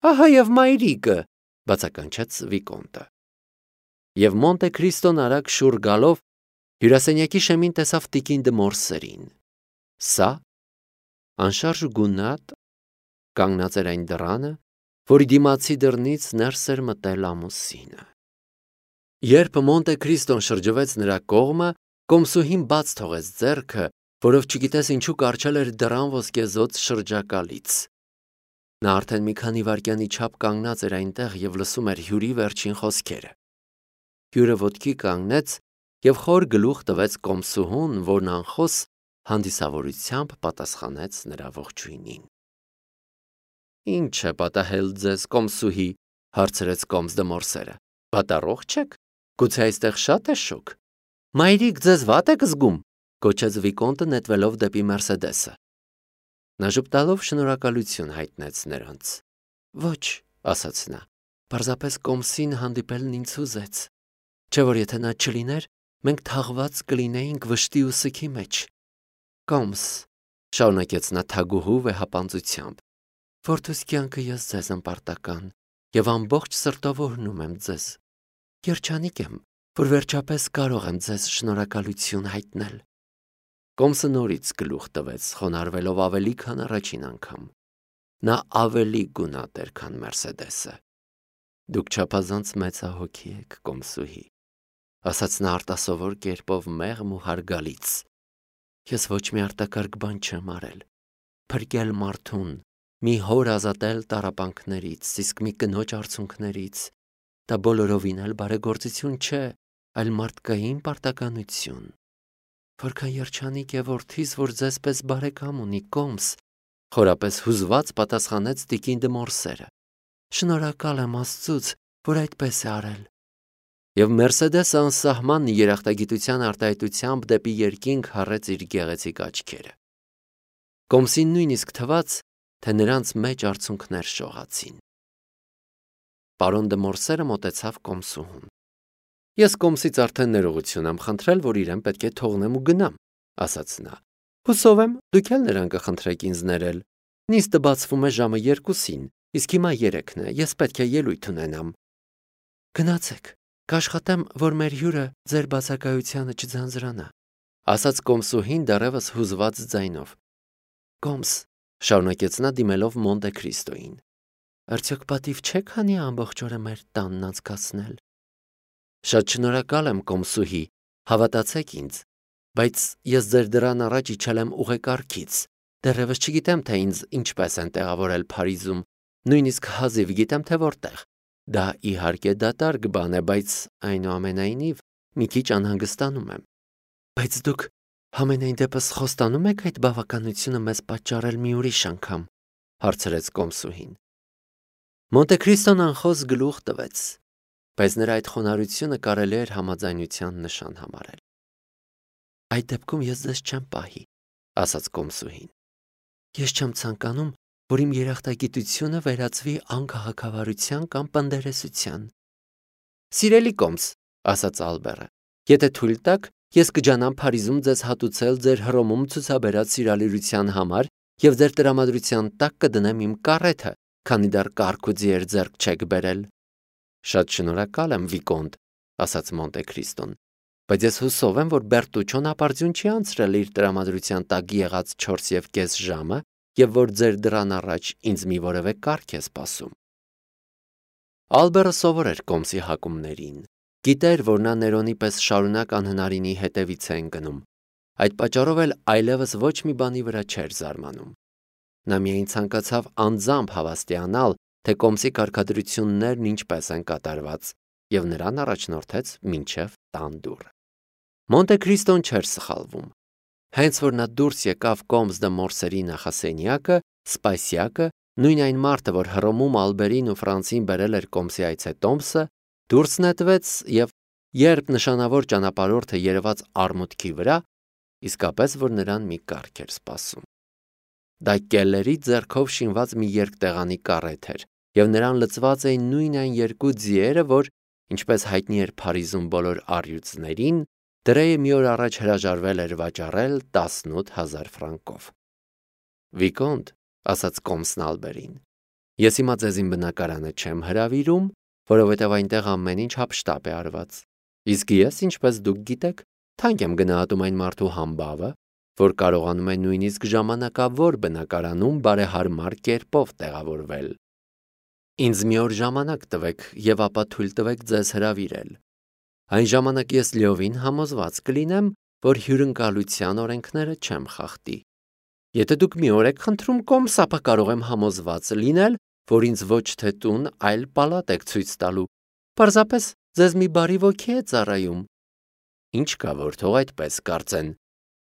Ահա եւ մայրիկը, բացականչեց Վիկոնտը։ Եվ Մոնտե Քրիստոն արագ շուռ գալով հյուրասենյակի շեմին տեսավ տիկին դը Մորսերին։ Սա անշարժ ու գունատ կանգնած էր այն դռանը, որի դիմացի դռնից ներս էր մտել ամուսինը։ Երբ Մոնտե Քրիստոն շրջվեց նրա կողմը, կոմսուհին բաց թողեց ձեռքը, որով չգիտես ինչու կառչել էր դռան ոսկեզօծ շրջակալից։ Նա արդեն մի քանի վայրկյանի չափ կանգնած էր այնտեղ եւ լսում էր հյուրի վերջին խոսքերը։ Հյուրը ոտքի կանգնեց եւ խոր գլուխ տվեց կոմսուհուն, որն անխոս հանդիսավորությամբ պատասխանեց նրա ողջույնին։ Ինչ է պատահել ձեզ, կոմսուհի, հարցրեց կոմս դը Մորսերը։ Պատառող չեք։ Գուցե այստեղ շատ է շոգ։ Մայրիկ ձեզ վատ եք զգում, գոչեց Վիկոնտը նետվելով դեպի Մերսեդեսը։ Նա ժպտալով շնորհակալություն հայտնեց նրանց։ Ոչ, ասաց նա, պարզապես կոմսին հանդիպելն ինձ հուզեց։ Չէ՞ որ եթե նա չլիներ, մենք թաղված կլինեինք վշտի ու սքի մեջ։ Կոմս, շարունակեց նա թագուհու վեհապանծությամբ, որդուս կյանքը ես ձեզ անպարտական եւ ամբողջ սրտով օրհնում եմ ձեզ։ Երջանիկ եմ, որ վերջապես կարող եմ ձեզ շնորհակալություն հայտնել։ Կոմսը նորից գլուխ տվեց, խոնարհվելով ավելի քան առաջին անգամ։ Նա ավելի գունատ էր, քան Մերսեդեսը։ Դուք չափազանց մեծահոգի եք, կոմսուհի, ասաց նա արտասովոր կերպով մեղմ ու հարգալից։ Ես ոչ մի արտակարգ բան չեմ արել։ Փրկել մարդուն, մի հոր ազատել տառապանքներից, իսկ մի կնոջ արցունքներից։ Դա բոլորովին էլ բարեգործություն չէ, այլ մարդկային պարտականություն։ Որքան երջանիկ է որդիս, որ ձեզպես բարեկամ ունի, կոմս, խորապես հուզված պատասխանեց տիկին դը Մորսերը։ Շնորհակալ եմ Աստծուց, որ այդպես է արել։ Եվ Մերսեդեսը անսահման երախտագիտության արտահայտությամբ դեպի երկինք հառեց իր գեղեցիկ աչքերը։ Կոմսին նույնիսկ թվաց, թե նրանց մեջ արցունքներ շողացին։ Պարոն դը Մորսերը մոտեցավ կոմսուհուն։ Ես կոմսից արդեն ներողություն եմ խնդրել, որ իրեն պետք է թողնեմ ու գնամ, ասաց նա։ Հուսով եմ, դուք էլ նրան կխնդրեք ինձ ներել։ Նիստը բացվում է ժամը 2-ին, իսկ հիմա 3-ն է, ես պետք է ելույթ ունենամ։ Գնացեք, կաշխատեմ, որ մեր հյուրը ձեր բացակայությանը չձանձրանա, ասաց կոմսուհին դեռևս հուզված ձայնով։ Կոմս, շարունակեց նա դիմելով Մոնտե Քրիստոյին։ Արդյոք պատիվ չեք հանի ամբողջ օրը մեր տանն անցկացնել։ Շատ շնորհակալ եմ, կոմսուհի, հավատացեք ինձ, բայց ես ձեր դրան առաջ իջել եմ ուղեկարգից, դեռևս չգիտեմ, թե ինձ ինչպես են տեղավորել Փարիզում, նույնիսկ հազիվ գիտեմ, թե որտեղ։ Դա իհարկե դատարկ բան է, բայց այնուամենայնիվ մի քիչ անհանգստանում եմ։ Բայց դուք համենայն դեպս խոստանում եք այդ բավականությունը մեզ պատճառել մի ուրիշ անգամ, հարցրեց կոմսուհին։ Մոնտե Քրիստոն անխոս գլուխ տվեց, բայց նրա այդ խոնարհությունը կարելի էր համաձայնության նշան համարել։ Այդ դեպքում ես ձեզ չեմ պահի, ասաց կոմսուհին։ Ես չեմ ցանկանում, որ իմ երախտագիտությունը վերածվի անկահակավարության կամ պնդերեսության։ Սիրելի կոմս, ասաց Ալբերը, եթե թույլ տաք, ես կջանամ Փարիզում ձեզ հատուցել ձեր Հռոմում ցուցաբերած սիրալիրության համար եւ ձեր տրամադրության տակ կդնեմ իմ կարեթը, քանի դեռ կարգ ու ձիեր ձեռք չեք բերել։ Շատ շնորհակալ եմ, Վիկոնտ, ասաց Մոնտե Քրիստոն, բայց ես հուսով եմ, որ Բերտուչոն ապարդյուն չի անցրել իր տրամադրության տակ եղած 4.5 ժամը եւ որ ձեր դրան առաջ ինձ մի որևէ կարգ է սպասում։ Ալբերը սովոր էր կոմսի հակումներին։ Գիտեր, որ նա Ներոնի պես շարունակ անհնարինի հետևից է ընկնում։ Այդ պատճառով էլ այլևս ոչ մի բանի վրա չէր զարմանում։ Նա միայն ցանկացավ անձամբ հավաստիանալ, թե կոմսի կարգադրություններն ինչպես են կատարված, եւ նրան առաջնորդեց մինչև տան դուռը։ Մոնտե Քրիստոն չէր սխալվում։ Հենց որ նա դուրս եկավ կոմս դը Մորսերի նախասենյակը, սպասյակը, նույն այն մարդը, որ Հռոմում Ալբերին ու Ֆրանսին բերել էր կոմսի այցետոմսը, դուրս նետվեց եւ երբ նշանավոր ճանապարհորդը երևաց արմուտքի վրա, իսկապես որ նրան մի կարգ էր սպասում։ Դա կելլերի ձեռքով շինված մի երկտեղանի կարեթ էր, եւ նրան լցված էին նույն այն երկու ձիերը, որ, ինչպես հայտնի էր Փարիզում բոլոր առյուծներին, Դրեյը մի օր առաջ հրաժարվել էր վաճառել 18,000 ֆրանկով։ Վիկոնտ, ասաց կոմսն Ալբերին, Ես հիմա ձեզ իմ բնակարանը չեմ հրավիրում, որովհետև այնտեղ ամեն ինչ հափշտապ է արված։ Իսկ ես, ինչպես դուք գիտեք, թանկ եմ գնահատում այն մարդու համբավը, որ կարողանում է նույնիսկ ժամանակավոր բնակարանում բարեհարմար կերպով տեղավորվել։ Ինձ մի օր ժամանակ տվեք եւ ապա թույլ տվեք ձեզ հրավիրել։ Այն ժամանակ ես լիովին համոզված կլինեմ, որ հյուրընկալության օրենքները չեմ խախտի։ Եթե դուք մի օր եք խնդրում կոմս, ապա կարող եմ համոզված լինել, որ ինձ ոչ թե տուն, այլ պալատ եք ցույց տալու։ Պարզապես ձեզ մի բարի ոգի է ծառայում։ Ինչ կա, որ թող այդպես կարծեն,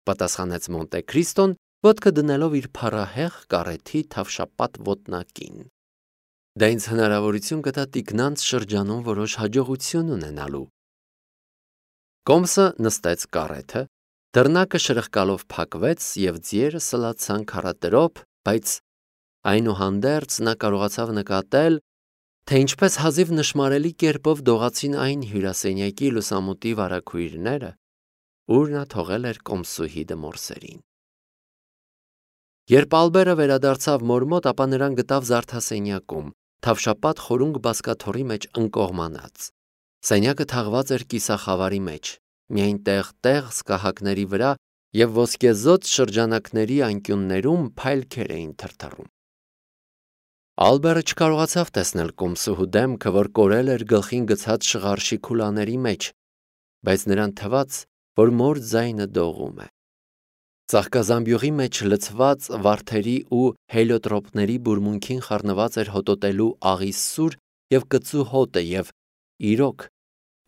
պատասխանեց Մոնտե Քրիստոն, ոտքը դնելով իր փառահեղ կարեթի թավշապատ ոտնակին։ Դա ինձ հնարավորություն կտա տիկնանց շրջանում որոշ հաջողություն ունենալու։ Կոմսը նստեց կարեթը, դռնակը շրխկալով փակվեց եւ ձիերը սլացան քարատրոփ, բայց այնուհանդերձ նա կարողացավ նկատել, թե ինչպես հազիվ նշմարելի կերպով դողացին այն հյուրասենյակի լուսամուտի վարագույրները, ուր նա թողել էր կոմսուհի դմորսերին։ Երբ Ալբերը վերադարձավ մոր մոտ, ապա նրան գտավ զարդասենյակում, թավշապատ խորունգ բազկաթոռի մեջ ընկողմանած։ Սենյակը թաղված էր կիսախավարի մեջ, միայն տեղ-տեղ սկահակների վրա եւ ոսկեզօծ շրջանակների անկյուններում փայլքեր էին թրթռում։ Ալբերը չկարողացավ տեսնել կոմսուհու դեմքը, որ կորել էր գլխին գցած շղարշի քուլաների մեջ, բայց նրան թվաց, որ մոր ձայնը դողում է։ Ծաղկազամբյուղի մեջ լցված վարդերի ու հելիոտրոպների բուրմունքին խառնված էր հոտոտելու աղի սուր եւ կծու հոտը եւ իրոք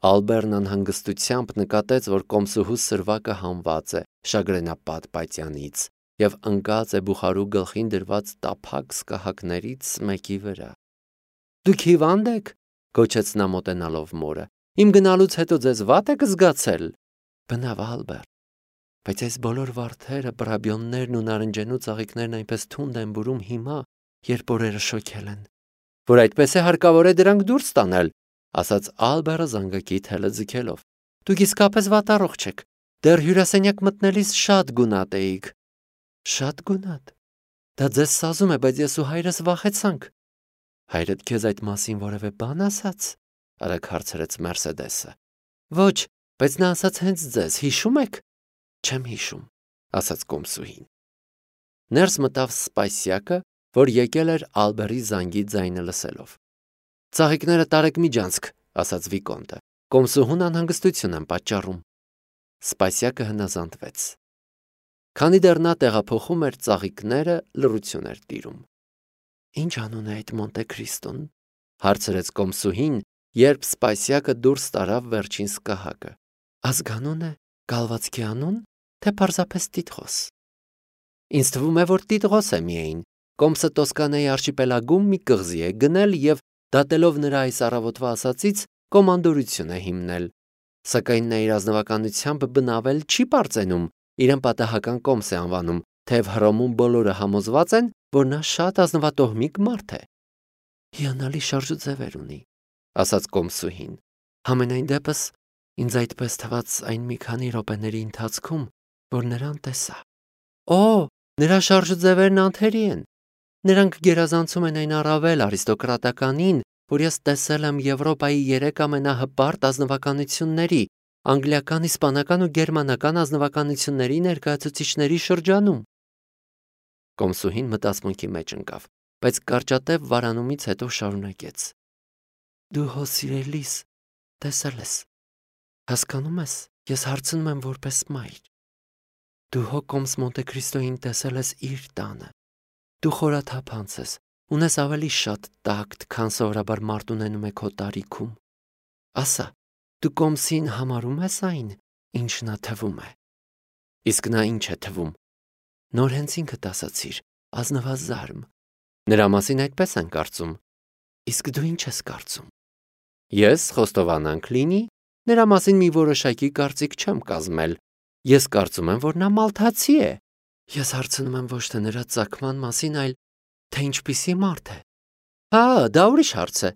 Ալբերն անհանգստությամբ նկատեց, որ կոմսուհու սրվակը հանված է շագրենապատ պատյանից եւ ընկած է բուխարու գլխին դրված տափակ սկահակներից մեկի վրա։ Դուք հիվանդ եք, գոչեց նա մոտենալով մորը։ Իմ գնալուց հետո ձեզ վատ եք զգացել։ Բնավ Ալբեր, բայց այս բոլոր վարդերը, բրաբյոններն ու նարնջենու ծաղիկներն այնպես թունդ են բուրում հիմա, երբ օրերը շոքել են, որ այդպես է հարկավոր է դրանք դուրս տանել, ասաց Ալբերը զանգակի թելը ձգելով։ Դուք իսկապես վատառողջ եք։ Դեռ հյուրասենյակ մտնելիս շատ գունատ էիք։ Շատ գունատ։ Դա ձեզ սազում է, բայց ես ու հայրս վախեցանք։ Հայրդ քեզ այդ մասին որևէ բան ասաց, արագ հարցրեց Մերսեդեսը։ Ոչ, բայց նա ասաց հենց ձեզ, հիշում եք։ Չեմ հիշում, ասաց կոմսուհին։ Ներս մտավ Սպասյակը, որ եկել էր Ալբերի զանգի ձայնը լսելով։ Ծաղիկները տարեք միջանցք, ասաց Վիկոնտը։ Կոմսուհուն անհանգստություն են պատճառում։ Սպասյակը հնազանդվեց։ Քանի դեռ նա տեղափոխում էր ծաղիկները, լռություն էր տիրում։ Ինչ անուն է այդ Մոնտե Քրիստոն, հարցրեց կոմսուհին, երբ Սպասյակը դուրս տարավ վերջին սկահակը։ Ազգանուն է, կալվածքի անուն, թե պարզապես տիտղոս։ Ինձ թվում է, որ տիտղոս է միայն։ Կոմսը Տոսկանեի արշիպելագում մի կղզի է գնել եւ դատելով նրա այս առավոտվա ասածից կոմանդորություն է հիմնել։ Սակայն նա իր ազնվականությամբ բնավել չի պարծենում, իրեն պատահական կոմս է անվանում, թեև Հռոմում բոլորը համոզված են, որ նա շատ ազնվատոհմիկ մարդ է։ Հիանալի շարժուձևեր ունի, ասաց կոմսուհին։ Համենայն դեպս ինձ այդպես թվաց այն մի քանի րոպեների ընթացքում, որ նրան տեսա։ Օ, նրա շարժուձևերն անթերի են։ Նրանք գերազանցում են այն առավել արիստոկրատականին, որ ես տեսել եմ Եվրոպայի 3 ամենահպարտ ազնվականությունների, անգլիական, իսպանական ու գերմանական ազնվականությունների ներկայացուցիչների շրջանում։ Կոմսուհին մտածմունքի մեջ ընկավ, բայց կարճատև վարանումից հետո շարունակեց։ Դու հո սիրելիս տեսել ես։ Հասկանում ես, ես հարցնում եմ որպես մայր։ Դու հո կոմս Մոնտե Քրիստոյին տեսել ես իր տանը։ Դու խորաթափանց ես, ունես ավելի շատ տակտ, քան սովորաբար մարդ ունենում է քո տարիքում։ Ասա, դու կոմսին համարում ես այն, ինչ նա թվում է։ Իսկ նա ինչ է թվում։ Նոր հենց ինքդ ասացիր, ազնվազարմ։ Նրա մասին այդպես են կարծում։ Իսկ դու ինչ ես կարծում։ Ես խոստովանանք լինի, նրա մասին մի որոշակի կարծիք չեմ կազմել։ Ես կարծում եմ, որ նա մալթացի է։ Ես հարցնում եմ ոչ թե նրա ծագման մասին, այլ թե ինչպիսի մարդ է։ Հա, դա ուրիշ հարց է։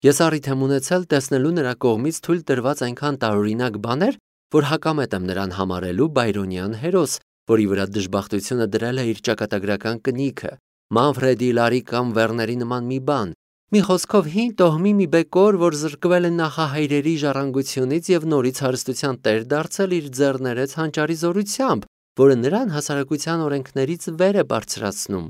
Ես առիթ եմ ունեցել տեսնելու նրա կողմից թույլ տրված այնքան տարօրինակ բաներ, որ հակամետ եմ նրան համարելու բայրոնյան հերոս, որի վրա դժբախտությունը դրել է իր ճակատագրական կնիքը, Մանֆրեդի, Լարի կամ Վերների նման մի բան։ Մի խոսքով հին տոհմի մի բեկոր, որ զրկվել է նախահայրերի ժառանգությունից եւ նորից հարստության տեր դարձել իր ձեռներեց հանճարի զորությամբ, որը նրան հասարակության օրենքներից վեր է բարձրացնում։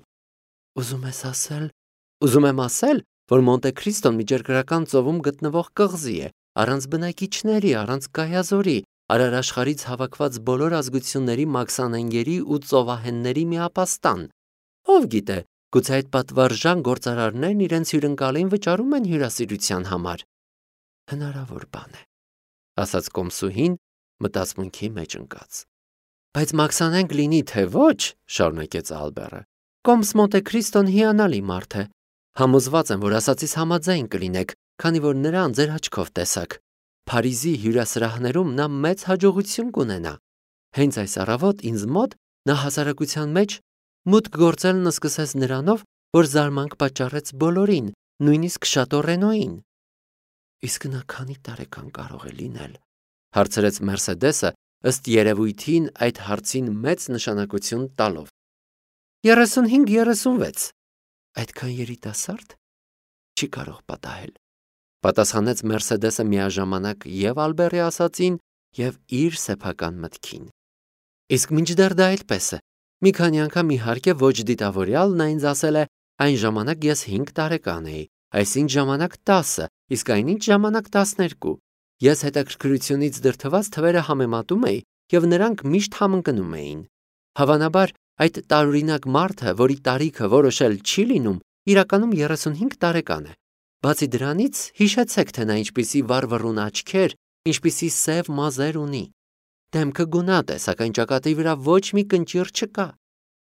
Ուզում եմ ասել, որ Մոնտե Քրիստոն միջերկրական ծովում գտնվող կղզի է, առանց բնակիչների, առանց կայազորի, արարաշխարից հավաքված բոլոր ազգությունների մաքսանենգերի ու ծովահենների միապաստան։ Ով գիտե, գուցե այդ պատվարժան գործարարներն իրենց հյուրընկալին վճարում են հյուրասիրության համար։ Հնարավոր բան է, ասաց կոմսուհին, մտածմունքի մեջ ընկած։ Բայց մաքսանենգ լինի թե ոչ, շարունակեց Ալբերը, կոմս Մոնտե Քրիստոն հիանալի մարդ է։ Համոզված եմ, որ ասածից համաձայն կլինեք, քանի որ նրան ձեր աչքով տեսաք։ Փարիզի հյուրասրահներում նա մեծ հաջողություն կունենա։ Հենց այս առավոտ ինձ մոտ նա հասարակության մեջ մուտք գործելն սկսեց նրանով, որ զարմանք պատճառեց բոլորին, նույնիսկ Շատորենոյին։ Իսկ նա քանի տարեկան կարող է լինել, հարցրեց Մերսեդեսը, ըստ երևույթին այդ հարցին մեծ նշանակություն տալով։ 35-36։ Այդքան երիտասարդ չի կարող պատահել, պատասխանեց Մերսեդեսը միաժամանակ եւ Ալբերի ասածին եւ իր սեփական մտքին։ Իսկ մինչդեռ դա այդպես է։ Մի քանի անգամ իհարկե ոչ դիտավորյալ նա ինձ ասել է, այն ժամանակ ես 5 տարեկան էի, այսինչ ժամանակ 10, իսկ այնինչ ժամանակ 12։ Ես հետաքրքրությունից դրդված թվերը համեմատում էի եւ նրանք միշտ համընկնում էին։ Հավանաբար այդ տարօրինակ մարդը, որի տարիքը որոշել չի լինում, իրականում 35 տարեկան է։ Բացի դրանից, հիշեցեք, թե նա ինչպիսի վառվռուն աչքեր, ինչպիսի սև մազեր ունի։ Դեմքը գունատ է, սակայն ճակատի վրա ոչ մի կնճիռ չկա։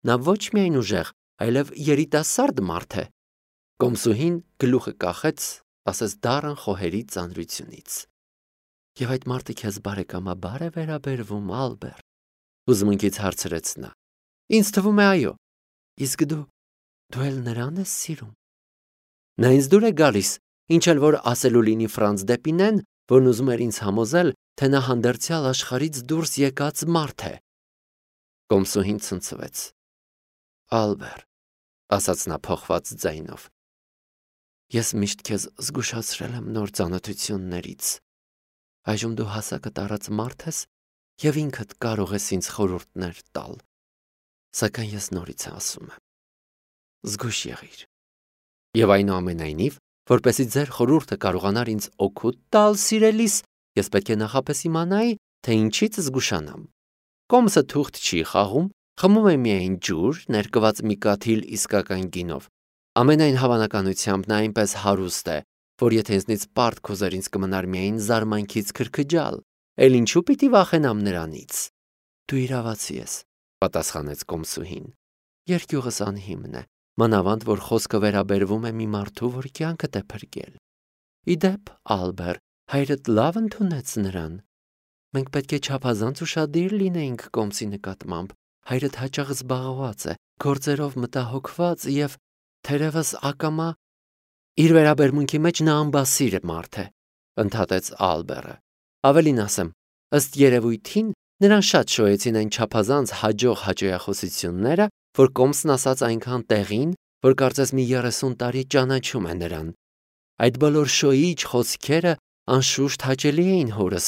Նա ոչ միայն ուժեղ, այլև երիտասարդ մարդ է։ Կոմսուհին գլուխը կախեց, ասես դառն խոհերի ծանրությունից։ Եվ այդ մարդը քեզ բարեկամաբար է վերաբերվում, Ալբեր, հուզմունքից հարցրեց նա։ Ինձ թվում է այո։ Իսկ դու էլ նրան ես սիրում։ Նա ինձ դուր է գալիս, ինչ էլ որ ասելու լինի Ֆրանց Դեպինեն, որն ուզում էր ինձ համոզել, թե նա հանդերձյալ աշխարհից դուրս եկած մարդ է։ Կոմսուհին ցնցվեց։ Ալբեր, ասաց նա փոխված ձայնով, ես միշտ քեզ զգուշացրել եմ նոր ծանոթություններից։ Այժմ դու հասակը տարած մարդ ես եւ ինքդ կարող ես ինձ խորհուրդներ տալ։ Սակայն ես նորից ասում եմ. զգույշ եղիր։ Եվ այնուամենայնիվ, որպեսզի ձեր խորհուրդը կարողանար ինձ օգուտ տալ, սիրելիս, ես պետք է նախապես իմանայի, թե ինչից զգուշանամ։ Կոմսը թուղթ չի խաղում, խմում է միայն ջուր, ներկված մի կաթիլ իսկական գինով։ Ամենայն հավանականությամբ նա այնպես հարուստ է, որ եթե ինձնից պարտք ուզեր, ինձ կմնար միայն զարմանքից քրքջալ, էլ ինչու պիտի վախենամ նրանից։ Դու իրավացի ես, պատասխանեց կոմսուհին։ Երկյուղս անհիմն է, մանավանդ որ խոսքը վերաբերվում է մի մարդու, որ կյանքդ է փրկել։ Իդեպ, Ալբեր, հայրդ լավ ընդունեց նրան։ Մենք պետք է չափազանց ուշադիր լինեինք կոմսի նկատմամբ։ Հայրդ հաճախ զբաղված է, գործերով մտահոգված եւ թերևս ակամա իր վերաբերմունքի մեջ նա ամբասիր մարդ է, ընդհատեց Ալբերը։ Ավելին ասեմ, ըստ երևույթին նրան շատ շոյեցին այն չափազանց հաջող հաճոյախոսությունները, որ կոմսն ասաց այնքան տեղին, որ կարծես մի 30 տարի ճանաչում է նրան։ Այդ բոլոր շոյիչ խոսքերը անշուշտ հաճելի էին հորս,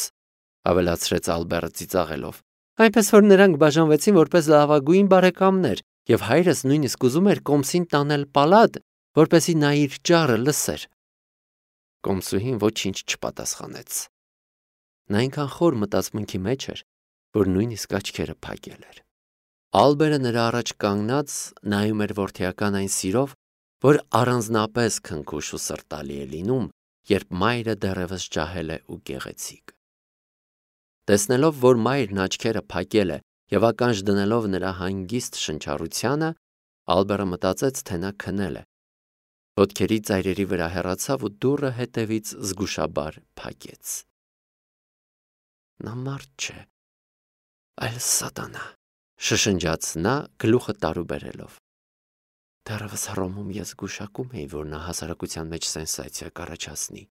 ավելացրեց Ալբերը ծիծաղելով։ Այնպես որ նրանք բաժանվեցին որպես լավագույն բարեկամներ, եւ հայրս նույնիսկ ուզում էր կոմսին տանել պալատ, որպեսզի նա իր ճառը լսեր։ Կոմսուհին ոչինչ չպատասխանեց։ Նա այնքան խոր մտածմունքի մեջ էր, որ նույնիսկ աչքերը փակել էր։ Ալբերը նրա առաջ կանգնած նայում էր որդիական այն սիրով, որ առանձնապես քնքուշ ու սրտալի է լինում, երբ մայրը դեռևս ջահել է ու գեղեցիկ։ Տեսնելով, որ մայրն աչքերը փակել է եւ ականջ դնելով նրա հանգիստ շնչառությանը, Ալբերը մտածեց, թե նա քնել է։ Ոտքերի ծայրերի վրա հեռացավ ու դուռը հետևից զգուշաբար փակեց։ Նա մարդ չէ, այլ սատանա, շշնջաց նա գլուխը տարուբերելով։ Դեռևս Հռոմում ես զգուշակում էի, որ նա հասարակության մեջ սենսացիա կառաջացնի։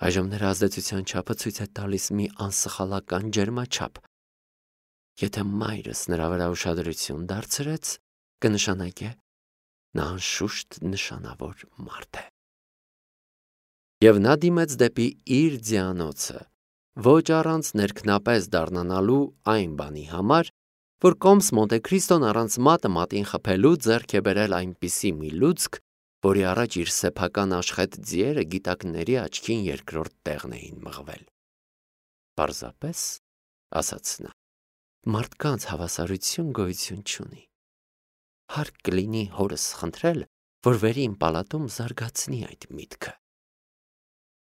Այժմ նրա ազդեցության չափը ցույց է տալիս մի անսխալական ջերմաչափ։ Եթե մայրս նրա վրա ուշադրություն դարձրեց, կնշանակե, նա անշուշտ նշանավոր մարդ է։ Եվ նա դիմեց դեպի իր ձյանոցը, ոչ առանց ներքնապես դառնանալու այն բանի համար, որ կոմս Մոնտեքրիստոն առանց մատը մատին խփելու ձեռք է բերել այնպիսի մի լուծք, որի առաջ իր սեփական աշխետ ձիերը գիտակների աչքին երկրորդ տեղն էին մղվել։ Պարզապես, ասաց նա, մարդկանց հավասարություն գոյություն չունի։ Հարկ կլինի հորս խնդրել, որ վերի իմ պալատում զարգացնի այդ միտքը։